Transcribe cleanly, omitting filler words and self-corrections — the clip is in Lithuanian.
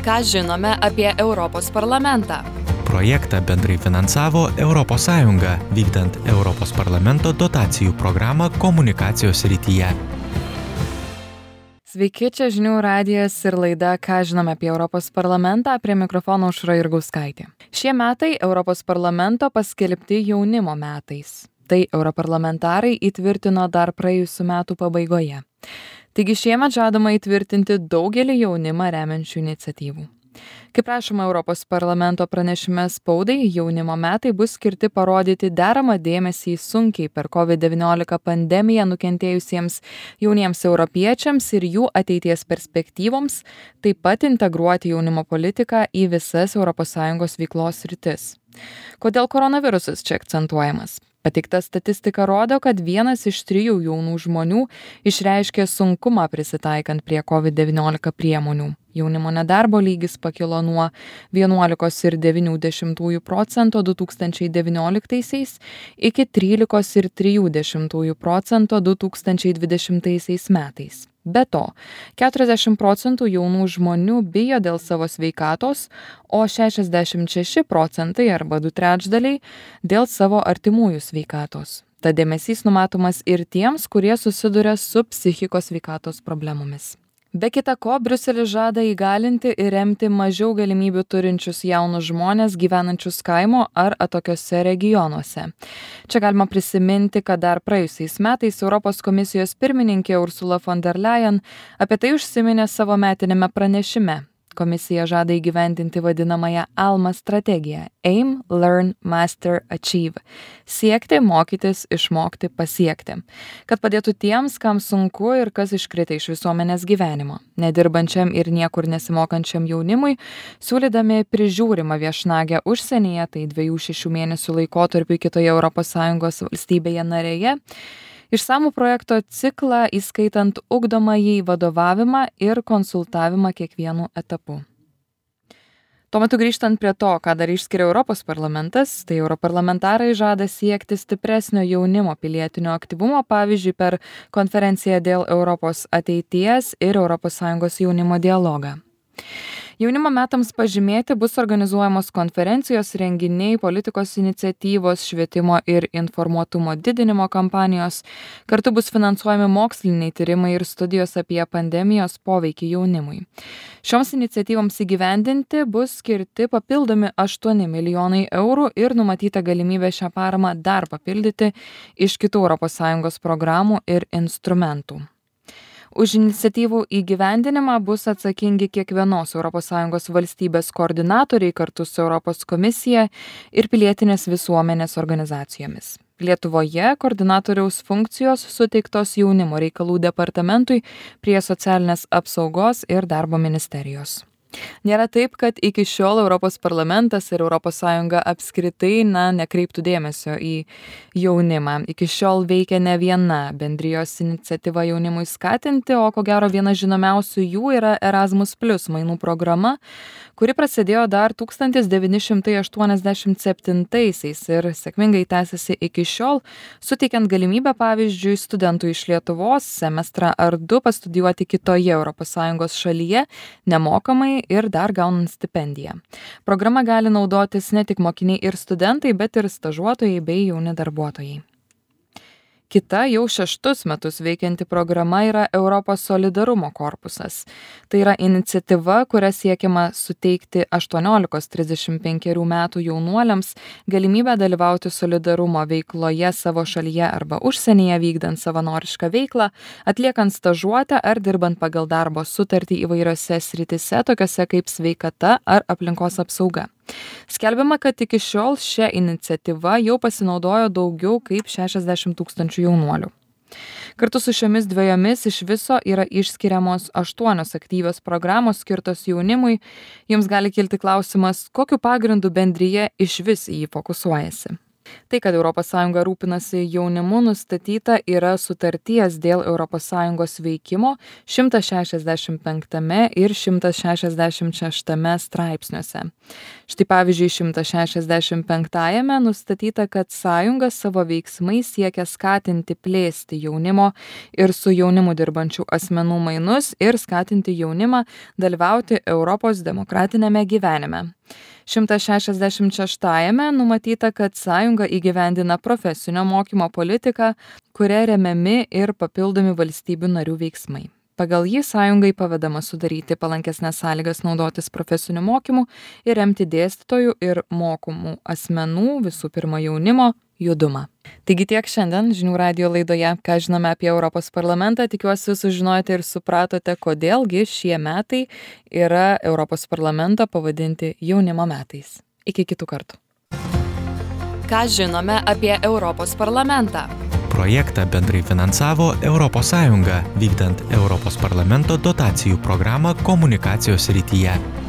Ką žinome apie Europos parlamentą? Projektą bendrai finansavo ES, vykdant Europos parlamento dotacijų programą komunikacijos srityje. Sveiki, čia žinių radijas ir laida Ką žinome apie Europos parlamentą, prie mikrofono Aušra Jurgauskaitė. Šie metai Europos parlamento paskelbti jaunimo metais. Tai europarlamentarai įtvirtino dar praėjusių metų pabaigoje. Taigi šiemet žadama įtvirtinti daugelį jaunimą remiančių iniciatyvų. Kaip rašoma Europos parlamento pranešime spaudai, jaunimo metai bus skirti parodyti deramą dėmesį sunkiai per COVID-19 pandemiją nukentėjusiems jauniems europiečiams ir jų ateities perspektyvoms, taip pat integruoti jaunimo politiką į visas ES veiklos sritis. Kodėl koronavirusas čia akcentuojamas? Pateikta statistika rodo, kad 1 iš 3 jaunų žmonių išreiškė sunkumą prisitaikant prie COVID-19 priemonių. Jaunimo nedarbo lygis pakilo nuo 11,9% 2019 iki 13,3% 2020 metais. Be to, 40% jaunų žmonių bijo dėl savo sveikatos, o 66% arba 2/3 dėl savo artimųjų sveikatos. Tad dėmesys numatomas ir tiems, kurie susiduria su psichikos sveikatos problemomis. Be kita ko, Briuselis žada įgalinti ir remti mažiau galimybių turinčius jaunus žmones gyvenančius kaimo ar atokiuose regionuose. Čia galima prisiminti, kad dar praėjusiais metais Europos komisijos pirmininkė Ursula von der Leyen apie tai užsiminė savo metiniame pranešime. Komisija žada įgyvendinti vadinamąją ALMA strategiją – Aim, Learn, Master, Achieve – siekti, mokytis, išmokti, pasiekti, kad padėtų tiems, kam sunku ir kas iškrito iš visuomenės gyvenimo, nedirbančiam ir niekur nesimokančiam jaunimui, siūlydami prižiūrimą viešnagę užsienyje, tai 2-6 mėnesių laikotarpiu kitoje ES valstybėje narėje, išsamų projekto ciklą, įskaitant ugdomąjį vadovavimą ir konsultavimą kiekvienu etapu. Tuo metu grįžtant prie to, ką dar išskiria Europos parlamentas, tai europarlamentarai žada siekti stipresnio jaunimo pilietinio aktyvumo, pavyzdžiui, per konferenciją dėl Europos ateities ir ES jaunimo dialogą. Jaunimo metams pažymėti bus organizuojamos konferencijos, renginiai, politikos iniciatyvos, švietimo ir informuotumo didinimo kampanijos, kartu bus finansuojami moksliniai tyrimai ir studijos apie pandemijos poveikį jaunimui. Šioms iniciatyvoms įgyvendinti bus skirti papildomi 8 milijonai eurų ir numatyta galimybė šią paramą dar papildyti iš kitų ES programų ir instrumentų. Už iniciatyvų įgyvendinimą bus atsakingi kiekvienos ES valstybės koordinatoriai kartu su Europos komisija ir pilietinės visuomenės organizacijomis. Lietuvoje koordinatoriaus funkcijos suteiktos jaunimo reikalų departamentui prie socialinės apsaugos ir darbo ministerijos. Nėra taip, kad iki šiol Europos parlamentas ir ES apskritai nekreiptų dėmesio į jaunimą. Iki šiol veikia ne viena bendrijos iniciatyva jaunimui skatinti, o ko gero viena žinomiausių jų yra Erasmus Plus mainų programa, kuri prasidėjo dar 1987 ir sėkmingai tęsiasi iki šiol, suteikiant galimybę, pavyzdžiui, studentui iš Lietuvos semestrą ar 2 pastudijuoti kitoje ES šalyje nemokamai ir dar gaunant stipendiją. Programa gali naudotis ne tik mokiniai ir studentai, bet ir stažuotojai bei jauni darbuotojai. Kita jau 6 metus veikianti programa yra Europos solidarumo korpusas. Tai yra iniciatyva, kuria siekiama suteikti 18-35 metų jaunuoliams galimybę dalyvauti solidarumo veikloje savo šalyje arba užsienyje, vykdant savanorišką veiklą, atliekant stažuotę ar dirbant pagal darbo sutartį įvairiose sritise, tokiose kaip sveikata ar aplinkos apsauga. Skelbiama, kad iki šiol šią iniciatyvą jau pasinaudojo daugiau kaip 60 000 jaunuolių. Kartu su šiomis dviejomis iš viso yra išskiriamos 8 aktyvios programos skirtos jaunimui. Jums gali kilti klausimas, kokiu pagrindu bendrija išvis į jį fokusuojasi. Tai, kad ES rūpinasi jaunimu, nustatyta yra sutarties dėl ES veikimo 165 ir 166 straipsniuose. Štai pavyzdžiui, 165-ame nustatyta, kad sąjunga savo veiksmais siekia skatinti plėsti jaunimo ir su jaunimu dirbančių asmenų mainus ir skatinti jaunimą dalyvauti Europos demokratinėme gyvenime. 166-ame numatyta, kad sąjunga įgyvendina profesinio mokymo politiką, kuria remiami ir papildomi valstybių narių veiksmai. Pagal jį sąjungai pavedama sudaryti palankesnes sąlygas naudotis profesiniu mokymu ir remti dėstytojų ir mokomų asmenų, visų pirma jaunimo, judumą. Taigi tiek šiandien žinių radijo laidoje, ką žinome apie Europos parlamentą, tikiuosi sužinojote ir supratote, kodėlgi šie metai yra Europos parlamento pavadinti jaunimo metais. Iki kitų kartų. Ką žinome apie Europos parlamentą? Projektą bendrai finansavo ES, vykdant Europos parlamento dotacijų programą komunikacijos srityje.